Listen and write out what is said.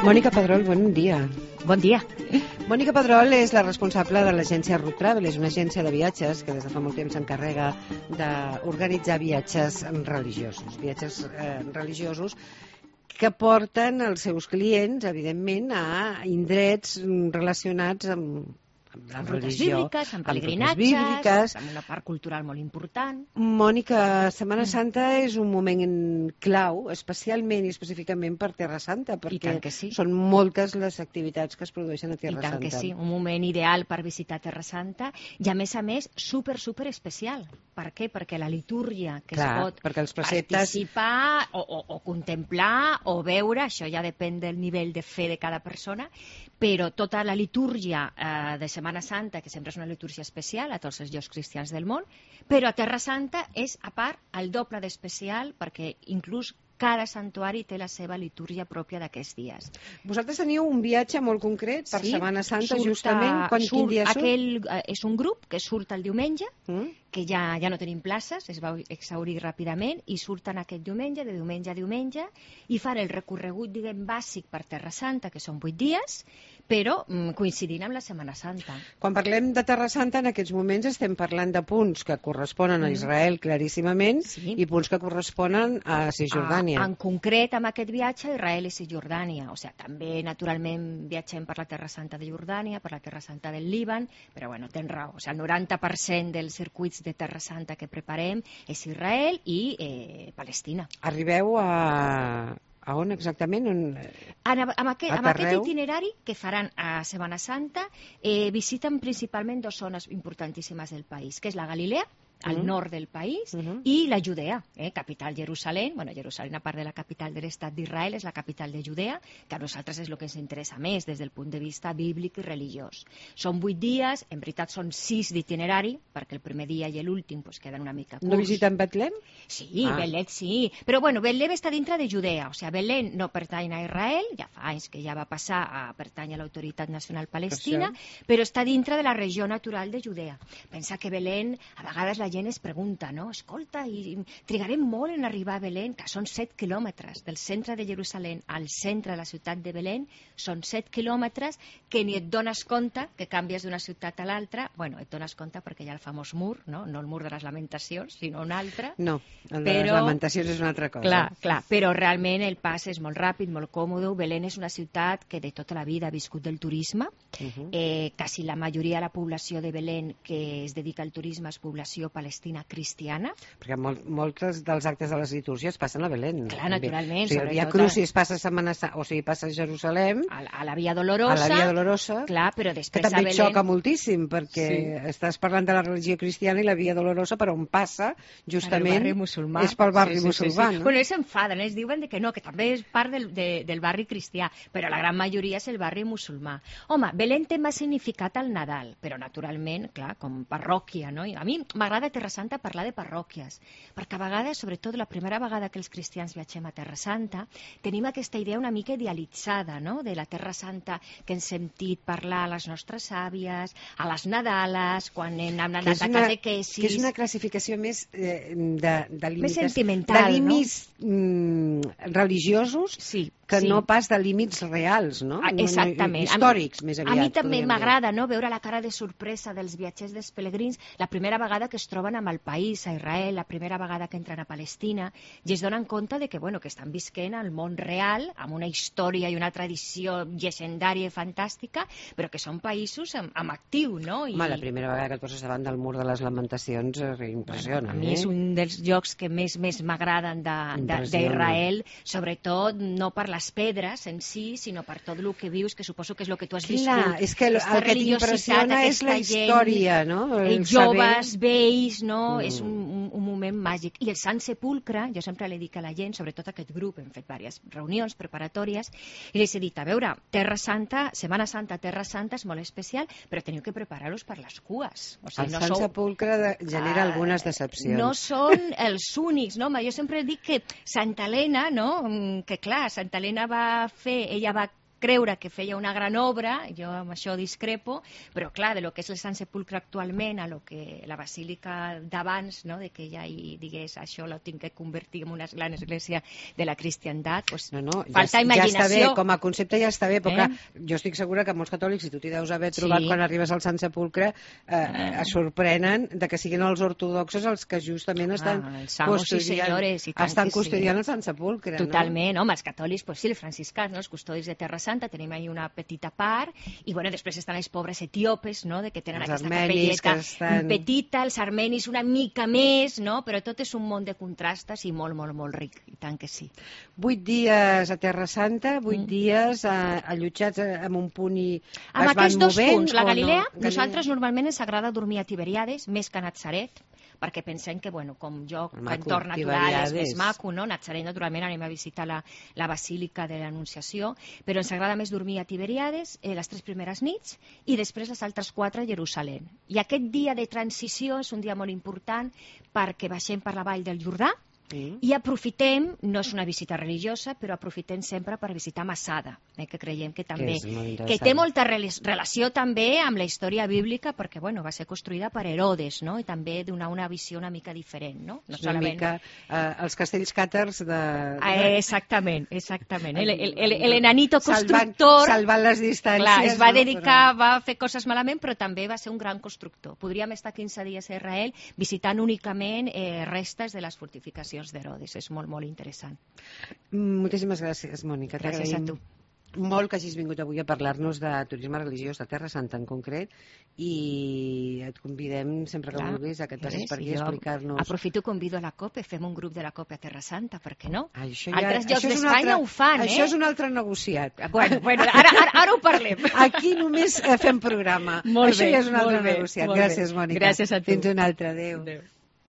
Mònica Pedrol, bon dia. Bon dia. Mònica Pedrol és la responsable de l'agència Root Travel, és una agència de viatges que des de fa molt temps s'encarrega d'organitzar viatges religiosos que porten els seus clients, evidentment, a indrets relacionats amb la religió, bíbliques, amb pelegrinatges, amb una part cultural molt important. Mònica, Setmana Santa és un moment clau, especialment i específicament per Terra Santa, perquè sí. Són moltes les activitats que es produeixen a Terra Santa. I tant que sí, un moment ideal per visitar Terra Santa i, a més, super especial. Per què? Perquè la litúrgia que es pot participar o contemplar o veure, això ja depèn del nivell de fe de cada persona, però tota la litúrgia de Setmana Santa, que sempre és una litúrgia especial a tots els llocs cristians del món, però a Terra Santa és, a part, el doble d'especial, perquè inclús cada santuari té la seva litúrgia pròpia d'aquests dies. Vosaltres teniu un viatge molt concret per Setmana Santa, justament? Quin dia surt? És un grup que surt el diumenge, que ja no tenim places, es va exhaurir ràpidament, i surten aquest diumenge, de diumenge a diumenge, i fan el recorregut, diguem, bàsic per Terra Santa, que són 8 dies, però coincidint amb la Setmana Santa. Quan parlem de Terra Santa, en aquests moments estem parlant de punts que corresponen a Israel claríssimament i punts que corresponen a Cisjordània. En concret, amb aquest viatge, Israel i Cisjordània. O sigui, també, naturalment, viatgem per la Terra Santa de Jordània, per la Terra Santa del Líban, però, bueno, tens raó. O sigui, el 90% dels circuits de Terra Santa que preparem és Israel i Palestina. Arribeu a on exactament? Amb aquest itinerari que faran a Setmana Santa visiten principalment dues zones importantíssimes del país, que és la Galilea, al nord del país, i la Judea, capital Jerusalem. Bueno, Jerusalem, a part de la capital de l'estat d'Israel, és la capital de Judea, que a nosaltres és el que ens interessa més des del punt de vista bíblic i religiós. Són 8 dies, en veritat són 6 d'itinerari, perquè el primer dia i l'últim queden una mica curts. No visiten Betlem? Sí, Betlem sí, però bueno, Betlem està dintre de Judea, o sigui, Betlem no pertany a Israel, ja fa anys que ja va passar a pertany a l'Autoritat Nacional Palestina, però està dintre de la regió natural de Judea. Pensa que Betlem, a vegades la gent es pregunta, no? Escolta, i trigarem molt en arribar a Belén, que són 7 quilòmetres del centre de Jerusalem al centre de la ciutat de Belén, són 7 quilòmetres que ni et dones compte que canvies d'una ciutat a l'altra. Bueno, et dones compte perquè hi ha el famós mur, no el mur de les Lamentacions, sinó un altre. No, el de les Lamentacions és una altra cosa. Clar, però realment el pas és molt ràpid, molt còmode. Belén és una ciutat que de tota la vida ha viscut del turisme. Quasi la majoria de la població de Belén que es dedica al turisme és població palestina cristiana. Perquè molts dels actes de les litúrgies passen a Belén. Clar, naturalment. O sigui, el Via Crucis passa a Jerusalem. A la Via Dolorosa. A la Via Dolorosa. Clar, però després que també xoca moltíssim, perquè estàs parlant de la religió cristiana i la Via Dolorosa, per on passa, justament, és pel barri musulmà. Bueno, ells s'enfaden, ells diuen que no, que també és part del barri cristià, però la gran majoria és el barri musulmà. Home, Belén té més significat al Nadal, però naturalment, clar, com parròquia, no? A mi m'agrada Terra Santa parlar de parròquies, perquè a vegades, sobretot la primera vegada que els cristians viatgem a Terra Santa, tenim aquesta idea una mica idealitzada, no?, de la Terra Santa que hem sentit parlar a les nostres àvies, a les Nadales, quan hem anat a catequesis. Que és una classificació més més sentimental, de límits religiosos, que no pas de límits reals, no? Exactament. Històrics, més aviat. A mi també m'agrada, no?, veure la cara de sorpresa dels viatgers, dels pelegrins, la primera vegada que es troben amb el país, a Israel, la primera vegada que entren a Palestina, i es donen compte de que, bueno, que estan visquent al món real, amb una història i una tradició llegendària i fantàstica, però que són països amb actiu, no? Home, la primera vegada que et poses davant del mur de les Lamentacions impressiona. A mi és un dels llocs que més m'agraden d'Israel, sobretot no per les pedres en si, sinó per tot el que vius, que suposo que és el que tu has viscut. Clar, és que el que t'impressiona és la història, no? Joves, vells, no? És un moment màgic. I el Sant Sepulcre, jo sempre li dic a la gent, sobretot a aquest grup, hem fet diverses reunions preparatòries, i els he dit, a veure, Terra Santa, Setmana Santa, Terra Santa és molt especial, però teniu que preparar-los per les cues. O sigui, el Sant Sepulcre genera algunes decepcions. No són els únics, no? Jo sempre dic que Santa Helena, no?, que clar, Santa Helena ella va creure que feia una gran obra, jo amb això discrepo, però clar, de lo que és el Sant Sepulcre actualment a lo que la basílica d'abans, no? De que ja hi digués això lo tinc que convertir en una gran església de la cristiandat, pues, falta imaginació. Ja està bé, com a concepte ja està bé, però clar, jo estic segura que molts catòlics, si tu t'hi deus haver trobat quan arribes al Sant Sepulcre, es sorprenen de que siguin els ortodoxos els que justament estan custodiant el Sant Sepulcre. Totalment, home, els catòlics, pues sí, els franciscans, no? Els custodis de Terra Santa, tenim ahí una petita part, i bueno, després estan els pobres etíopes, no? De que tenen aquesta capelleta petita, els armenis una mica més, no? Però tot és un món de contrastes i molt, molt, molt ric, i tant que sí. 8 dies a Terra Santa, 8 dies allotjats en un punt i es van movent. Amb aquests dos punts, la Galilea, nosaltres normalment ens agrada dormir a Tiberíades, més que a Natzaret, perquè pensem que, bueno, com lloc, entorn natural, és més maco, no? Natzaret, naturalment, anem a visitar la Basílica de l'Anunciació, però ens agrada més dormir a Tiberíades les 3 primeres nits i després les altres 4 a Jerusalem. I aquest dia de transició és un dia molt important perquè baixem per la vall del Jordà i aprofitem, no és una visita religiosa, però aprofitem sempre per visitar Masada, que creiem que també que té molta relació també amb la història bíblica, perquè bueno, va ser construïda per Herodes, no? I també donar una visió una mica diferent, no? Una mica els castells càtars de... Exactament. L'enanito constructor... Salvant les distàncies. Clar, es va dedicar, va fer coses malament, però també va ser un gran constructor. Podríem estar 15 dies a Israel visitant únicament restes de les fortificacions d'Herodes. És molt, molt interessant. Moltíssimes gràcies, Mònica. Gràcies a tu. Molt que hagis vingut avui a parlar-nos de turisme religiós de Terra Santa en concret, i et convidem sempre que vulguis a que et passis per aquí a explicar-nos. Aprofito i convido a la COPE, fem un grup de la COPE a Terra Santa, per què no? Altres llocs d'Espanya ho fan, Això és un altre negociat. Bueno, ara ho parlem. Aquí només fem programa. Això ja és un altre negociat. Gràcies, Mònica. Gràcies a tu. Fins un altre. Adéu.